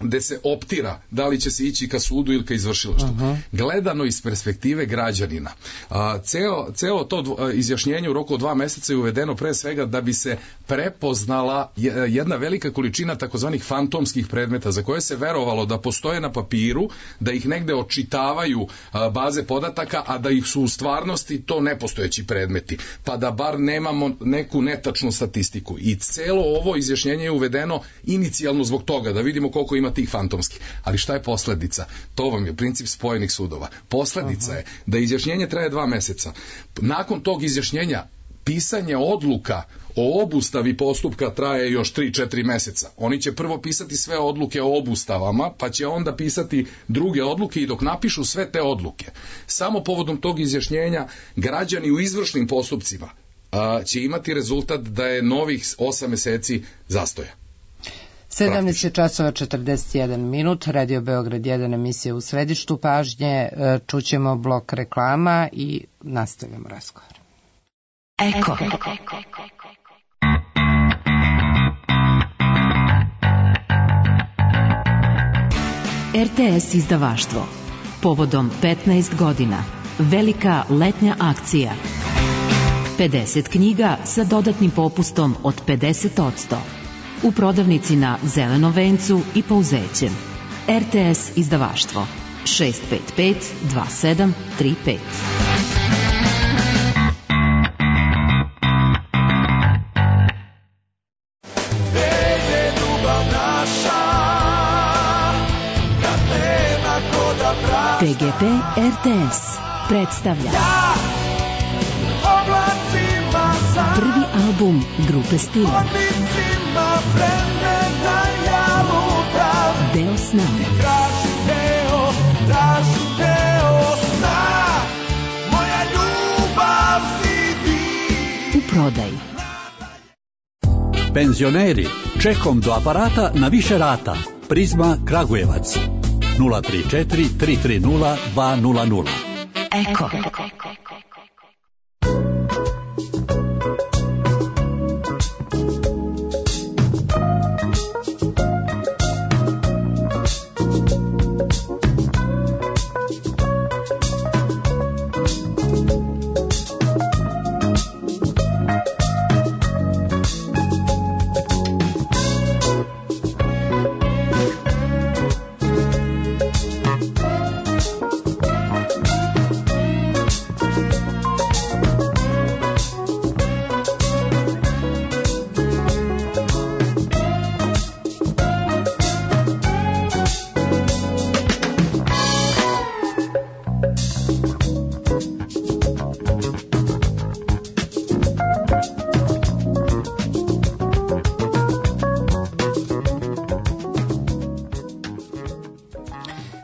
S2: gde se optira da li će se ići ka sudu ili ka izvršilaštvu. Uh-huh. Gledano iz perspektive građanina, a, ceo, ceo to izjašnjenje u roku od dva meseca je uvedeno pre svega da bi se prepoznala jedna velika količina takozvanih fantomskih predmeta za koje se verovalo da postoje na papiru, da ih negde očitavaju a, baze podataka, a da ih su u stvarnosti to nepostojeći predmeti, pa da bar nemamo neku netačnu statistiku. I celo ovo izjašnjenje je uvedeno inicijalno zbog toga, da vidimo koliko ima tih fantomskih. Ali šta je posledica? To vam je princip spojenih sudova. Posledica je da izjašnjenje traje dva meseca. Nakon tog izjašnjenja pisanje odluka o obustavi postupka traje još tri četiri meseca. Oni će prvo pisati sve odluke o obustavama, pa će onda pisati druge odluke i dok napišu sve te odluke, samo povodom tog izjašnjenja građani u izvršnim postupcima a, će imati rezultat da je novih osam meseci zastoja.
S3: sedamnaest časova četrdeset jedan minut, Radio Beograd jedan, emisija U središtu pažnje, čućemo blok reklama i nastavljamo razgovor.
S1: Eko. R T S izdavaštvo. Povodom petnaest godina. Velika letnja akcija. pedeset knjiga sa dodatnim popustom od pedeset posto. U prodavnici na Zelenom vencu i Pouzećem. R T S izdavaštvo šest pet pet dva sedam tri pet. P G P R T S predstavlja prvi album grupe Stila. Deo sna. U prodaji.
S6: Penzioneri, čekom do aparata na više rata. Prizma Kragujevac. nula tri četiri tri tri nula dva nula nula.
S1: Eko.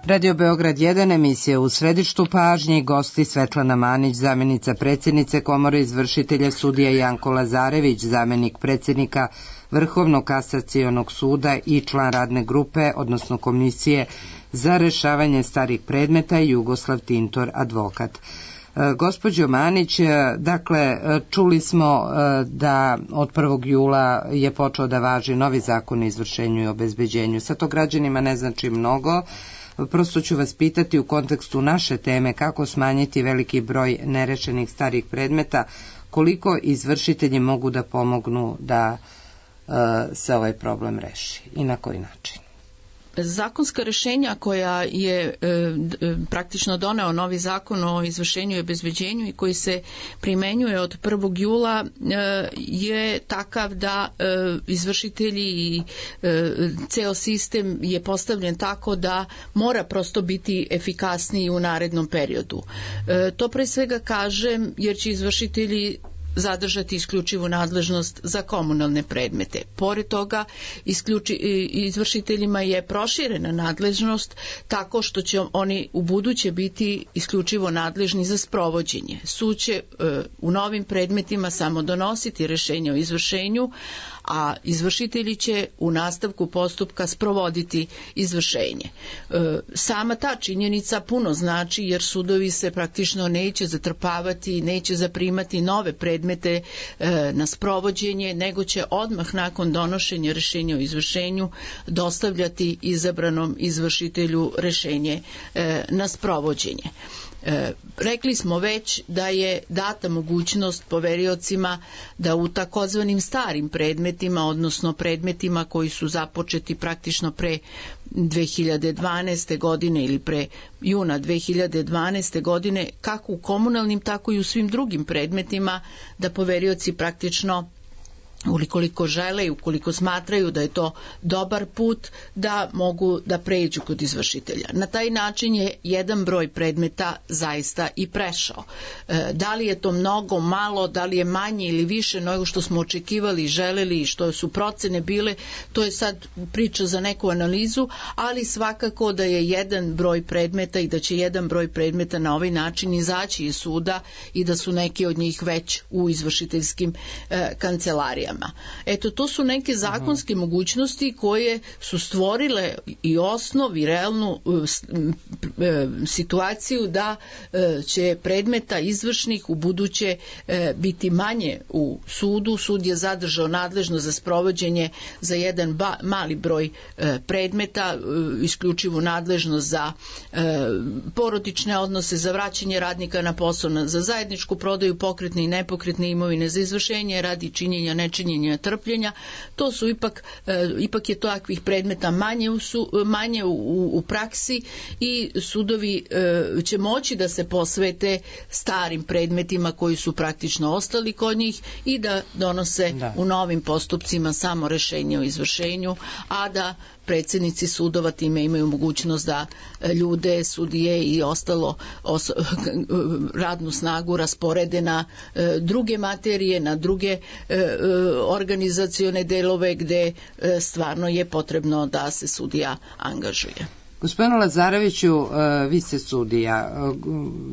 S3: Radio Beograd jedan, emisija U središtu pažnje, gosti Svetlana Manić, zamjenica predsjednice Komore izvršitelja, sudija Janko Lazarević, zamjenik predsjednika Vrhovnog kasacionog suda i član radne grupe, odnosno komisije za rešavanje starih predmeta, Jugoslav Tintor, advokat. Gospođo Manić, dakle, čuli smo da od prvog jula je počeo da važi novi zakon o izvršenju i obezbeđenju. Sad to građanima ne znači mnogo. Prosto ću vas pitati u kontekstu naše teme kako smanjiti veliki broj nerešenih starih predmeta, koliko izvršitelji mogu da pomognu da uh, se ovaj problem reši i na koji način?
S5: Zakonska rešenja koja je e, praktično doneo novi zakon o izvršenju i obezbeđenju i koji se primenjuje od prvog jula e, je takav da e, izvršitelji i e, ceo sistem je postavljen tako da mora prosto biti efikasniji u narednom periodu. E, to pre svega kažem jer će izvršitelji zadržati isključivu nadležnost za komunalne predmete. Pored toga, isključi, izvršiteljima je proširena nadležnost tako što će oni u buduće biti isključivo nadležni za sprovođenje. Sud će e, u novim predmetima samo donositi rešenje o izvršenju, a izvršitelji će u nastavku postupka sprovoditi izvršenje. E, sama ta činjenica puno znači jer sudovi se praktično neće zatrpavati, neće zaprimati nove predmete e, na sprovođenje, nego će odmah nakon donošenja rešenja o izvršenju dostavljati izabranom izvršitelju rešenje e, na sprovođenje. E, rekli smo već da je data mogućnost poveriocima da u takozvanim starim predmetima, odnosno predmetima koji su započeti praktično pre dve hiljade dvanaeste. godine ili pre juna dve hiljade dvanaeste. godine, kako u komunalnim, tako i u svim drugim predmetima, da poverioci praktično ukoliko žele i ukoliko smatraju da je to dobar put, da mogu da pređu kod izvršitelja. Na taj način je jedan broj predmeta zaista i prešao. E, da li je to mnogo, malo, da li je manje ili više nego što smo očekivali, želeli i što su procene bile, to je sad priča za neku analizu, ali svakako da je jedan broj predmeta i da će jedan broj predmeta na ovaj način izaći iz suda i da su neki od njih već u izvršiteljskim e, kancelarijama. Eto, to su neke zakonske Aha. mogućnosti koje su stvorile i osnov i realnu e, situaciju da e, će predmeta izvršnih u buduće e, biti manje u sudu. Sud je zadržao nadležno za sprovođenje za jedan ba, mali broj e, predmeta, e, isključivo nadležnost za e, porodične odnose, za vraćanje radnika na posao, za zajedničku prodaju pokretne i nepokretne imovine, za izvršenje radi činjenja nečinjenja trpljenja. To su ipak, e, ipak je takvih predmeta manje u, su, manje u, u praksi i sudovi e, će moći da se posvete starim predmetima koji su praktično ostali kod njih i da donose da. u novim postupcima samo rešenje o izvršenju, a da predsjednici sudova time imaju mogućnost da ljude, sudije i ostalo os, radnu snagu rasporede na e, druge materije, na druge e, organizacione delove gde e, stvarno je potrebno da se sudija angažuje.
S3: Gospodine Lazareviću, vi ste sudija.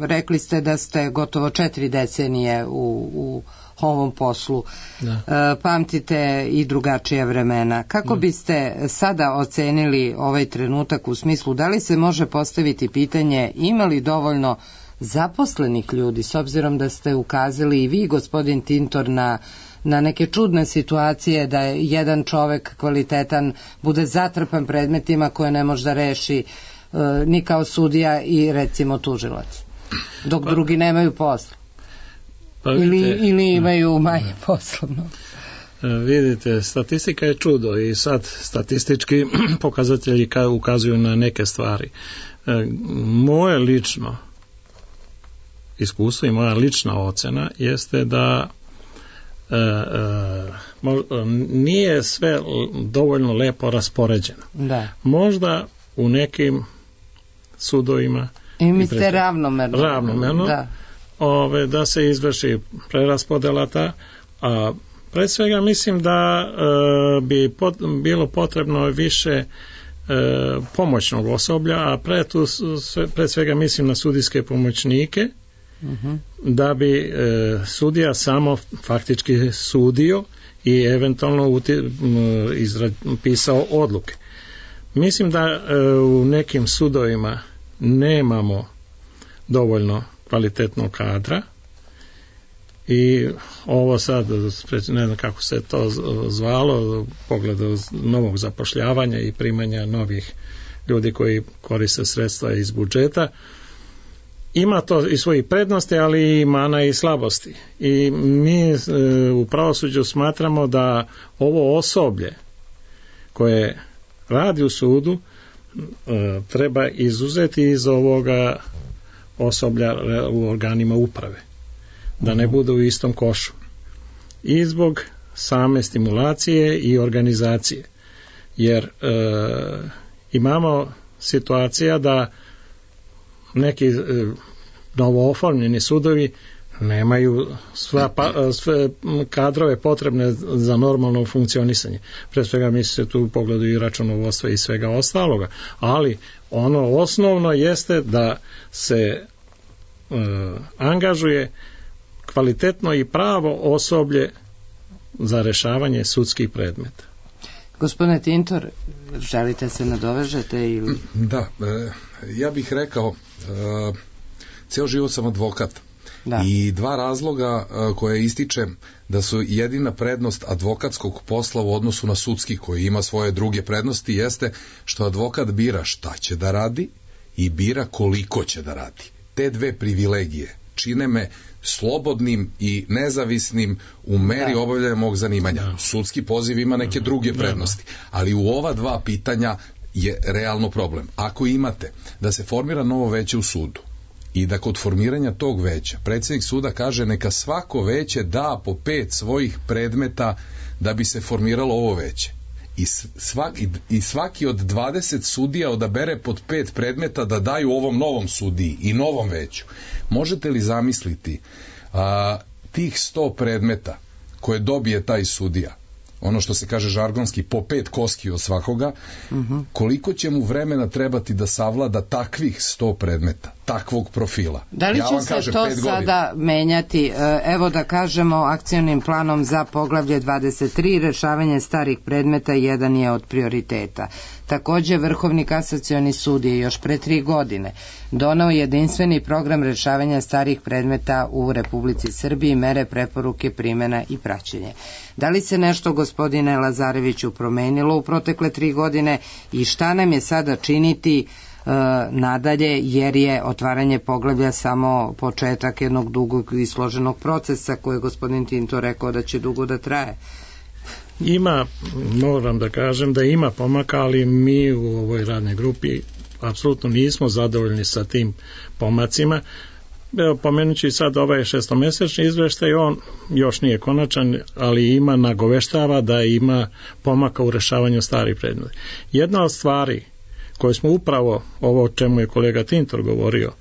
S3: Rekli ste da ste gotovo četiri decenije u, u ovom poslu. Da. Pamtite i drugačija vremena. Kako da. biste sada ocenili ovaj trenutak u smislu da li se može postaviti pitanje ima li dovoljno zaposlenih ljudi, s obzirom da ste ukazali i vi, gospodin Tintor, na na neke čudne situacije da je jedan čovek kvalitetan bude zatrpan predmetima koje ne može da reši e, ni kao sudija i recimo tužilac, dok pa, drugi nemaju posla pa vidite, ili, ili imaju manje ne. poslovno.
S4: Vidite, statistika je čudo i sad statistički pokazatelji ukazuju na neke stvari. E, moje lično iskustvo i moja lična ocena jeste da E, e, nije sve dovoljno lepo raspoređeno.
S3: Da.
S4: Možda u nekim sudovima
S3: i mi ste ravnomerno
S4: ravnomerno da. Ove, da se izvrši preraspodela ta, a pred svega mislim da e, bi pot, bilo potrebno više e, pomoćnog osoblja, a pred, tu, sve, pred svega mislim na sudijske pomoćnike. Uh-huh. Da bi e, sudija samo faktički sudio i eventualno uti, m, izra, pisao odluke. Mislim da e, u nekim sudovima nemamo dovoljno kvalitetnog kadra i ovo sad, ne znam kako se to zvalo, u pogledu novog zapošljavanja i primanja novih ljudi koji koriste sredstva iz budžeta. Ima to i svoji prednosti, ali i mana i slabosti. I mi e, u pravosuđu smatramo da ovo osoblje koje radi u sudu treba izuzeti iz ovoga osoblja u organima uprave, da ne bude u istom košu, i zbog same stimulacije i organizacije, jer e, imamo situacija da neki e, novooformljeni sudovi nemaju sva pa, sve kadrove potrebne za normalno funkcionisanje. Pre svega misli se tu u pogledu i računovodstva i svega ostaloga, ali ono osnovno jeste da se e, angažuje kvalitetno i pravo osoblje za rešavanje sudskih predmeta.
S3: Gospodine Tintor, želite se nadovežete ili...
S2: Da, e, ja bih rekao, e, ceo život sam advokat. Da. I dva razloga e, koje ističem da su jedina prednost advokatskog posla u odnosu na sudski, koji ima svoje druge prednosti, jeste što advokat bira šta će da radi i bira koliko će da radi. Te dve privilegije čine me slobodnim i nezavisnim u meri obavljanja mog zanimanja. Da. Sudski poziv ima neke druge prednosti, ali u ova dva pitanja je realno problem. Ako imate da se formira novo veće u sudu i da kod formiranja tog veća predsjednik suda kaže neka svako veće da po pet svojih predmeta da bi se formiralo ovo veće, i svaki, i svaki od dvadeset sudija odabere pod pet predmeta da daju ovom novom sudiji i novom veću, možete li zamisliti a, tih sto predmeta koje dobije taj sudija, ono što se kaže žargonski, po pet koski od svakoga, uh-huh. koliko će mu vremena trebati da savlada takvih sto predmeta, takvog profila?
S3: Da li
S2: ja
S3: će se
S2: kažem,
S3: to sada menjati, evo da kažemo, akcionim planom za poglavlje dvadeset tri, rešavanje starih predmeta jedan je od prioriteta. Takođe, Vrhovni kasacioni sud je još pre tri godine donao jedinstveni program rešavanja starih predmeta u Republici Srbiji, mere, preporuke, primjena i praćenje. Da li se nešto, gospodine Lazareviću, promenilo u protekle tri godine i šta nam je sada činiti e, nadalje, jer je otvaranje poglavlja samo početak jednog dugog i složenog procesa koji je gospodin Tinto rekao da će dugo da traje?
S4: Ima, moram da kažem da ima pomaka, ali mi u ovoj radnoj grupi apsolutno nismo zadovoljni sa tim pomacima. Evo, pomenući sad ovaj šestomesečni izveštaj, on još nije konačan, ali ima, nagoveštava da ima pomaka u rešavanju starih predmeta. Jedna od stvari koje smo upravo, ovo o čemu je kolega Tintor govorio,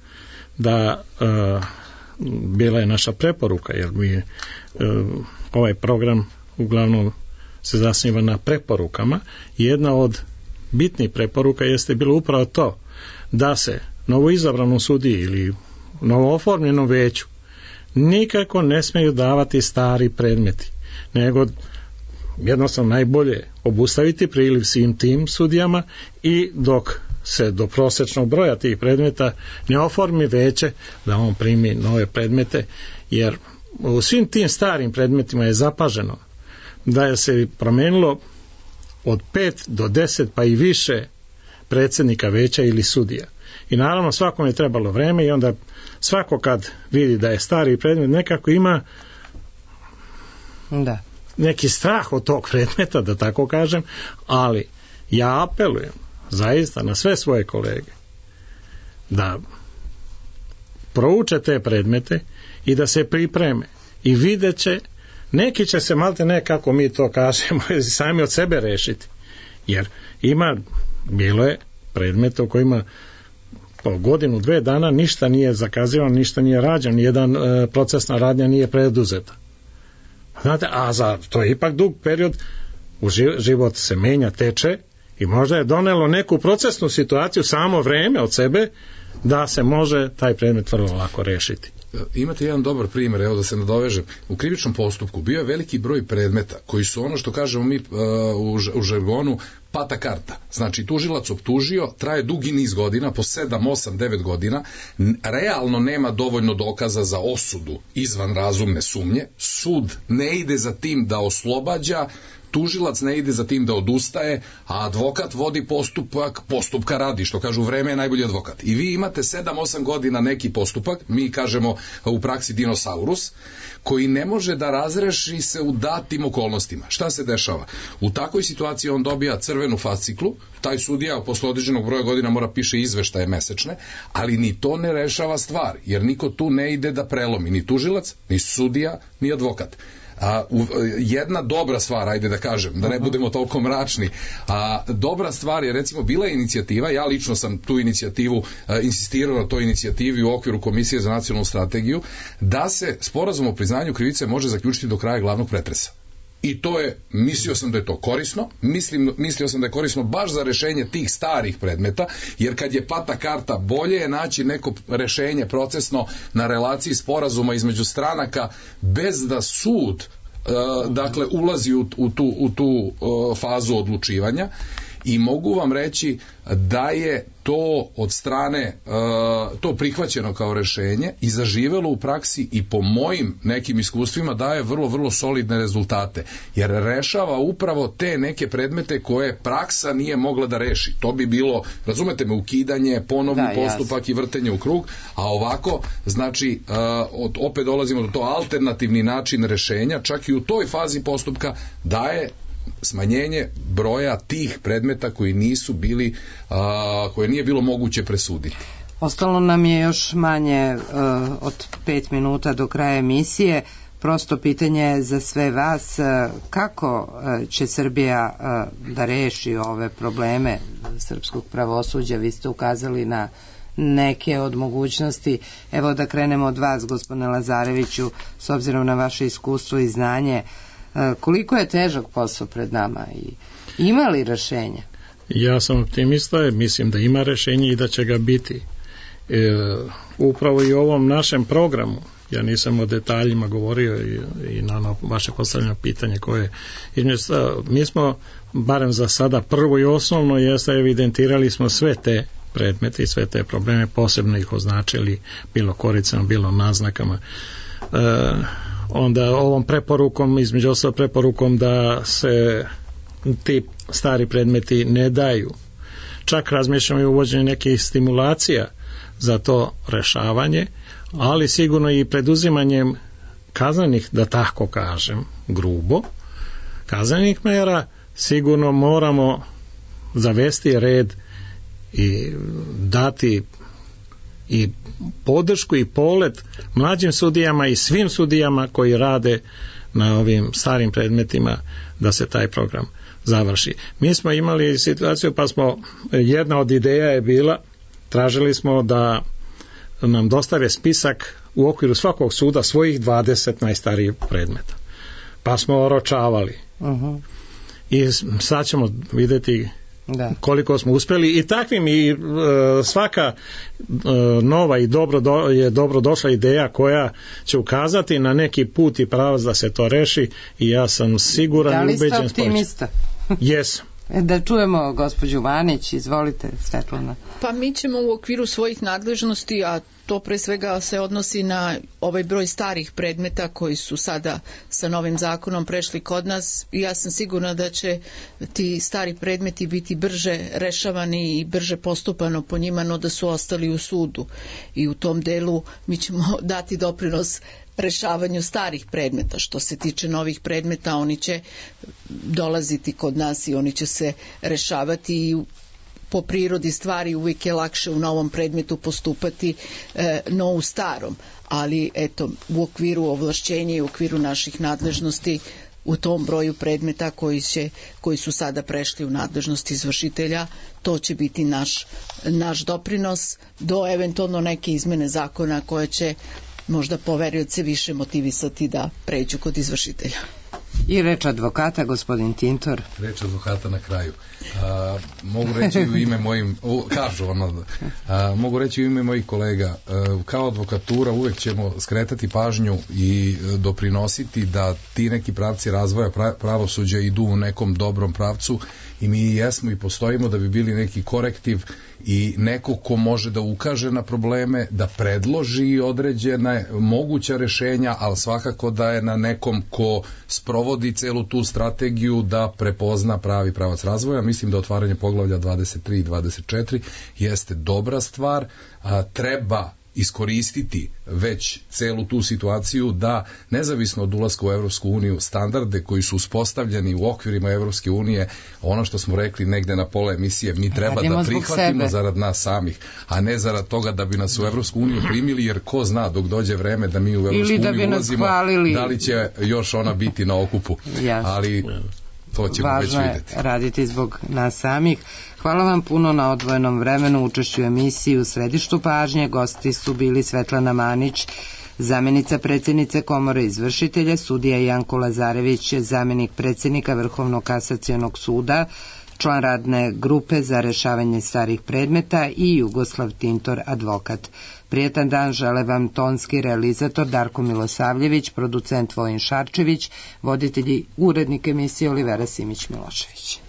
S4: da uh, bila je naša preporuka, jer mi uh, ovaj program uglavnom se zasniva na preporukama. Jedna od bitnih preporuka jeste bilo upravo to da se novoizabranom sudiji ili novooformljenom veću nikako ne smeju davati stari predmeti, nego jednostavno najbolje obustaviti priliv svim tim sudijama i dok se do prosečnog broja tih predmeta ne oformi veće, da on primi nove predmete, jer u svim tim starim predmetima je zapaženo da je se promenilo od pet do deset pa i više predsjednika veća ili sudija. I naravno svakom je trebalo vreme i onda svako kad vidi da je stari predmet nekako ima
S3: da.
S4: neki strah od tog predmeta, da tako kažem, ali ja apelujem zaista na sve svoje kolege da prouče te predmete i da se pripreme i vidjet će, neki će se malte ne, kako mi to kažemo, sami od sebe rešiti, jer ima, bilo je predmeta u kojima po godinu, dve dana ništa nije zakazivano, ništa nije rađeno, nijedan e, procesna radnja nije preduzeta. Znate, a za to je ipak dug period, u život se menja, teče i možda je donelo neku procesnu situaciju samo vreme od sebe da se može taj predmet vrlo lako rešiti.
S2: Imate jedan dobar primjer, evo da se nadovežem. U krivičnom postupku bio je veliki broj predmeta koji su ono što kažemo mi uh, u, u žargonu pata karta. Znači tužilac optužio, traje dugi niz godina, po sedam, osam, devet godina, realno nema dovoljno dokaza za osudu izvan razumne sumnje, sud ne ide za tim da oslobađa, tužilac ne ide za tim da odustaje, a advokat vodi postupak, postupka radi, što kažu vreme je najbolji advokat. I vi imate sedam osam godina neki postupak, mi kažemo u praksi dinosaurus, koji ne može da razreši se u datim okolnostima. Šta se dešava? U takvoj situaciji on dobija crvenu fasciklu, taj sudija posle određenog broja godina mora piše izveštaje mesečne, ali ni to ne rešava stvar, jer niko tu ne ide da prelomi, ni tužilac, ni sudija, ni advokat. A, u, jedna dobra stvar, ajde da kažem, da ne budemo toliko mračni, a dobra stvar je, recimo, bila je inicijativa, ja lično sam tu inicijativu a, insistirao na toj inicijativi u okviru Komisije za nacionalnu strategiju, da se sporazum o priznanju krivice može zaključiti do kraja glavnog pretresa. I to je, mislio sam da je to korisno, mislim, mislio sam da je korisno baš za rešenje tih starih predmeta, jer kad je plata karta, bolje je naći neko rešenje procesno na relaciji sporazuma između stranaka bez da sud uh, dakle ulazi u, u tu, u tu uh, fazu odlučivanja. I mogu vam reći da je to od strane uh, to prihvaćeno kao rešenje i zaživelo u praksi i po mojim nekim iskustvima daje vrlo, vrlo solidne rezultate, jer rešava upravo te neke predmete koje praksa nije mogla da reši. To bi bilo, razumete me, ukidanje, ponovni da, postupak jasno. I vrtenje u krug, a ovako, znači, uh, od, opet dolazimo do to alternativni način rešenja, čak i u toj fazi postupka daje smanjenje broja tih predmeta koji nisu bili, a, koje nije bilo moguće presuditi.
S3: Ostalo nam je još manje uh, od pet minuta do kraja emisije. Prosto pitanje za sve vas, uh, kako uh, će Srbija uh, da reši ove probleme srpskog pravosuđa? Vi ste ukazali na neke od mogućnosti. Evo da krenemo od vas, gospodine Lazareviću, s obzirom na vaše iskustvo i znanje. Koliko je težak posao pred nama i ima li rešenja?
S4: Ja sam optimista, mislim da ima rešenje i da će ga biti. E, upravo i u ovom našem programu, ja nisam o detaljima govorio i, i na vaše postavljeno pitanje koje mi smo, barem za sada, prvo i osnovno jeste evidentirali smo sve te predmete i sve te probleme, posebno ih označili bilo koricama, bilo naznakama. E, onda ovom preporukom, između ostalog preporukom da se ti stari predmeti ne daju. Čak razmišljamo i uvođenje nekih stimulacija za to rešavanje, ali sigurno i preduzimanjem kaznenih, da tako kažem, grubo, kaznenih mera, sigurno moramo zavesti red i dati i podršku i polet mlađim sudijama i svim sudijama koji rade na ovim starim predmetima da se taj program završi. Mi smo imali situaciju, pa smo, jedna od ideja je bila, tražili smo da nam dostave spisak u okviru svakog suda svojih dvadeset najstarijih predmeta. Pa smo oročavali. Uh-huh. I sad ćemo vidjeti da. Koliko smo uspjeli i takvim i e, svaka e, nova i dobro do, je dobro došla ideja koja će ukazati na neki put i pravac da se to reši i ja sam siguran i ubeđen. Da li ste optimista? Jesam.
S3: Da čujemo gospođu Vanić, izvolite Svetlana.
S5: Pa mi ćemo u okviru svojih nadležnosti, a to pre svega se odnosi na ovaj broj starih predmeta koji su sada sa novim zakonom prešli kod nas, i ja sam sigurna da će ti stari predmeti biti brže rešavani i brže postupano po njima, no da su ostali u sudu, i u tom delu mi ćemo dati doprinos rešavanju starih predmeta. Što se tiče novih predmeta, oni će dolaziti kod nas i oni će se rešavati, i po prirodi stvari uvijek je lakše u novom predmetu postupati e, no u starom, ali eto, u okviru ovlašćenja i u okviru naših nadležnosti u tom broju predmeta koji, će, koji su sada prešli u nadležnost izvršitelja, to će biti naš, naš doprinos do eventualno neke izmene zakona koje će možda poverioce više motivisati da pređu kod izvršitelja.
S3: I reč advokata, gospodin Tintor.
S2: Reč advokata na kraju. A, mogu reći u ime mojim, u, kažu ono, a, mogu reći u ime mojih kolega, a, kao advokatura uvek ćemo skretati pažnju i doprinositi da ti neki pravci razvoja pravosuđa idu u nekom dobrom pravcu, i mi jesmo i postojimo da bi bili neki korektiv i neko ko može da ukaže na probleme, da predloži određena moguća rešenja, ali svakako da je na nekom ko sprovodi sprovodi celu tu strategiju da prepozna pravi pravac razvoja. Mislim da otvaranje poglavlja dvadeset tri i dvadeset četiri jeste dobra stvar, a, treba iskoristiti već celu tu situaciju da nezavisno od ulaska u Evropsku uniju standarde koji su uspostavljeni u okvirima Evropske unije, ono što smo rekli negde na pola emisije, mi treba Radimo da prihvatimo zarad nas samih, a ne zarad toga da bi nas u Evropsku uniju primili, jer ko zna dok dođe vreme da mi u Evropsku uniju ulazimo, da li će još ona biti na okupu. Ali to ćemo
S3: Važno
S2: već vidjeti.
S3: Važno je raditi zbog nas samih. Hvala vam puno na odvojenom vremenu, učešću u emisiji U središtu pažnje. Gosti su bili Svetlana Manić, zamjenica predsjednice Komore izvršitelja, sudija Janko Lazarević, zamjenik predsjednika Vrhovnog kasacionog suda, član radne grupe za rešavanje starih predmeta i Jugoslav Tintor, advokat. Prijetan dan žele vam tonski realizator Darko Milosavljević, producent Vojin Šarčević, voditelji urednik emisije Olivera Simić-Milošević.